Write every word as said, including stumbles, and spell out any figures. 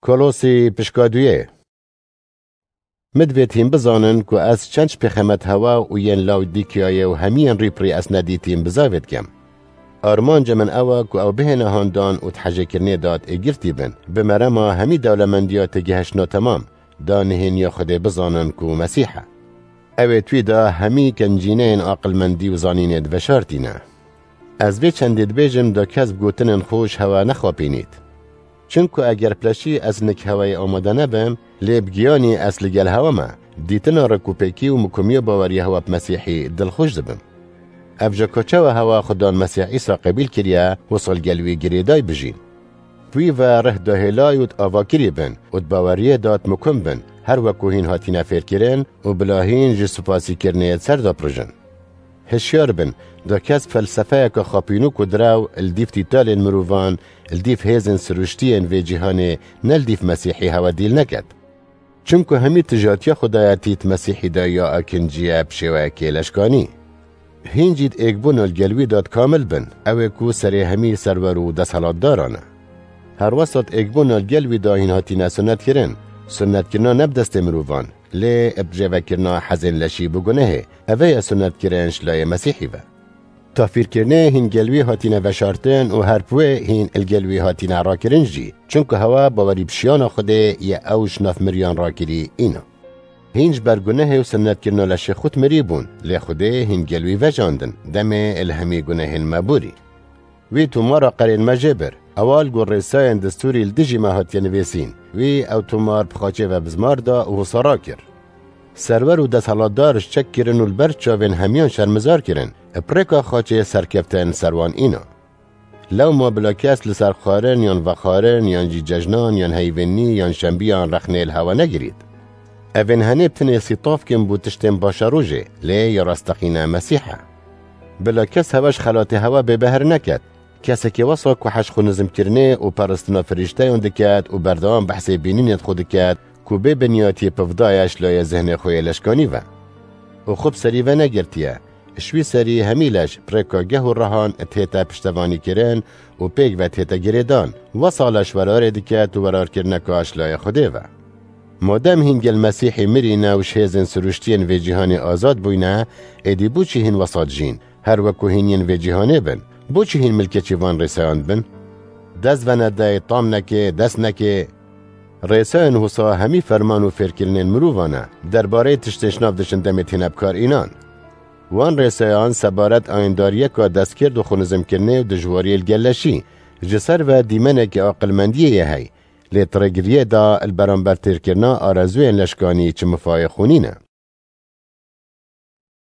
Kolosî pişka duyê. Min divêt hîn bizanin ku ez çend ji pêxemet hewa û yên Lawdîkiyayê û hemiyên rîpirî ez nedîtîm bizavê dikem. Armanca min ew e ku ew bihêne handan û di hejêkirinê de êgirtî bin, bi merema hemî dewlemendiya têgihiştna temam, da nihêniya Xwedê bizanin ku Mesîh e. Ew ê twî de hemî kincîneyên aqilmendî û zanînê diveşartîne. Ez vê çendê dibêjim da kes bi gotinên xwe ji hewa nexapînît. Çimku eger pileşî ez nik hewayê amade nebim, lê bi giyanî ez li gel hewa me, dîtina rikûpêkî û mikomiya baweriya hewa bi Mesîhî dilxweş dibim. Ev jî ku çawa hewa Xudan Mesîh Îsa qebîl kiriye, wisa li gel wî girêdayî bijîn. Wî ve rih dahêlay û di avakirî bin û di baweriyê de di mikum bin, her weku hîn hatine fêrkirin û bila hîn ji spasîkirinê di ser de pirijin. Hişyar bin, da kes felsefeyeke xapînok û direw li dîv tîtalên mirovan, li dîv hêzên siruştiyên vê cîhanê, ne li dîv Mesîhî hewe dîl neket. Çimku hemî tijatiya Xwedayetî di Mesîhî de ya akinciye bi şêweyekê leşkanî. Hîn jî di êkbûna li gel wî de di kamil bin, ew ê ku serê hemî serwer û desthilatdaran e. Her wesa di êkbûna li gel wî de hîn hatine sunetkirin, sunetkirina ne bi destê mirovan, lê bi rêvekirina hezên leşî bi gunehê, ev ê ye sunetkirin ji layê Mesîhî ve. Tafîrkirinê hîn gel wî hatine veşartin û her bi wê hîn li gel wî hatine rakirin jî, çimku hewa bawerî bi şiyana Xwedê ye ew ji nav miriyan rakirî îna. Hîn ji ber gunehê û sunetkirina leşê xwe di mirî bûn, lê Xwedê hîn gel wî vejandin, demê li hemî gunehên me borî. Wî tomara qerên me jê bir, ewa li gor rêsayên destûrî li dijî me hatiye nivîsîn. Wî ew tomar bi xaçê ve bizmar da û wisa rakir. Serwer û desthilatdar ji çek kirin û li ber çavên hemiyan şermizar kirin, bi rêka xaçê serkeftin ser wan îna. Lewma bila kes li ser xwarin yan vexwarin yan jî cejnan yan heyvênî yan şembiyan rexnê li hewa negirît. Evên henê bi tinê sîtavkin bû tiştên başa rojê, lê ya rasteqîne Mesîh e. Bila kes hewe ji xelatê hewa bêbehr neket. Kesekê wesa ku heş xwe nizimkirinê û peristina firîşteyan diket û berdewam behsê bînînê xwe diket ku bê binyatî pivdaye ji layê zihnê xwe yê leşkanî ve. Û xwe bi serî ve negirtiye. Ji wî serî hemî leş bi rêka geh û rehan dihête piştevanîkirin û pêk ve dihête girêdan. Wesa leş werarê diket û werarkirineka ji layê Xwedê ve. Madem hîn gel Mesîhî mirîne û ji hêzên siruştiyên vê cîhanê azad bûyne, êdî bo çi hîn wesa dijîn, her weku hîn yên vê cîhanê bin? Bo çi hîn milkekî van rêsayan dibin? Dest venedey, tam nekê, dest nekê. Rêsayên wisa hemî ferman û fêrkirinên mirovan e, derbareyê tiştên ji nav diçin demê têne bi kar înan. Wan rêsayan sebaret ayîndariyeka destkird û xwenizimkirinê û dijwariyê li gel leşî, ji ser ve dîmenekî aqilmendiyê ye hey, lê di rêgiriyê de li beramber têrkirina arezûyên leşkanî çi mifayê xwe nîne.